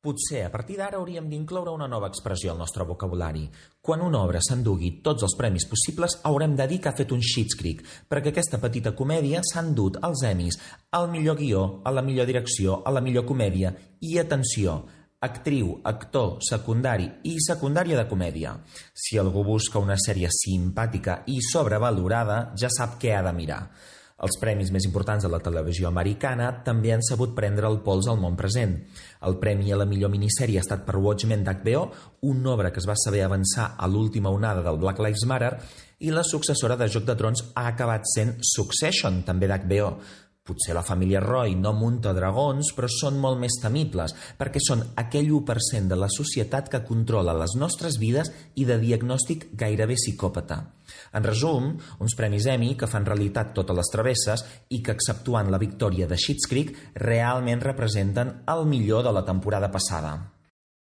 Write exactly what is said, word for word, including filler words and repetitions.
Potser a partir d'ara hauríem d'incloure una nova expressió al nostre vocabulari. Quan una obra s'endugui tots els premis possibles, haurem de dir que ha fet un Schitt's Creek, perquè aquesta petita comèdia s'ha endut als Emmys, al millor guió, a la millor direcció, a la millor comèdia i, atenció, actriu, actor, secundari i secundària de comèdia. Si algú busca una sèrie simpàtica i sobrevalorada, ja sap què ha de mirar. Els premis més importants de la televisió americana també han sabut prendre el pols al món present. El premi a la millor minissèrie ha estat per Watchmen d'H B O, una obra que es va saber avançar a l'última onada del Black Lives Matter, i la successora de Joc de Trons ha acabat sent Succession, també d'H B O. Potser la família Roy no munta dragons, però són molt més temibles, perquè són aquell u per cent de la societat que controla les nostres vides i de diagnòstic gairebé psicòpata. En resum, uns premis Emmy que fan realitat totes les travesses i que, exceptuant la victòria de Schitt's Creek, realment representen el millor de la temporada passada.